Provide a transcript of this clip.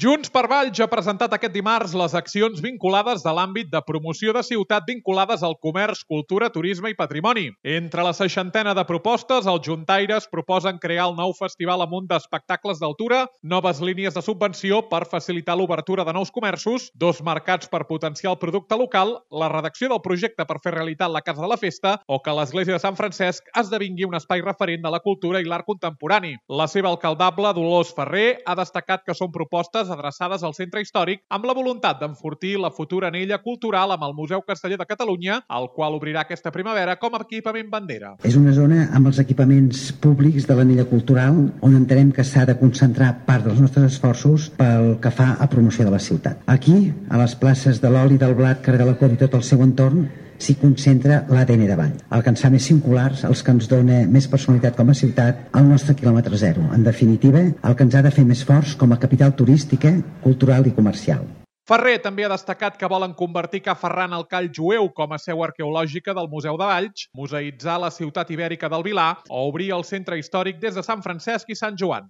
Junts per Valls ha presentat aquest dimarts les accions vinculades de l'àmbit de promoció de ciutat vinculades al comerç, cultura, turisme i patrimoni. Entre la 60ena de propostes, els juntaires proposen crear el nou festival amunt d'espectacles d'altura, noves línies de subvenció per facilitar l'obertura de nous comerços, 2 mercats per potenciar el producte local, la redacció del projecte per fer realitat la Casa de la Festa o que l'església de Sant Francesc esdevingui un espai referent de la cultura i l'art contemporani. La seva alcaldable, Dolors Ferrer, ha destacat que són propostes adreçades al centre històric amb la voluntat d'enfortir la futura anella cultural amb el Museu Casteller de Catalunya, el qual obrirà aquesta primavera com a equipament bandera. És una zona amb els equipaments públics de l'anella cultural on entenem que s'ha de concentrar part dels nostres esforços pel que fa a promoció de la ciutat. Aquí, a les places de l'Oli, del Blat, carrer de la Cor i tot el seu entorn, s'hi concentra l'ADN de Valls. Alcançar més singulars, els que ens dona més personalitat com a ciutat, al nostre quilòmetre zero. En definitiva, el que ens ha de fer més forts com a capital turística, cultural i comercial. Ferrer també ha destacat que volen convertir Ca Ferran al Call Jueu com a seu arqueològica del Museu de Valls, museïtzar la ciutat ibèrica del Vilar o obrir el centre històric des de Sant Francesc i Sant Joan.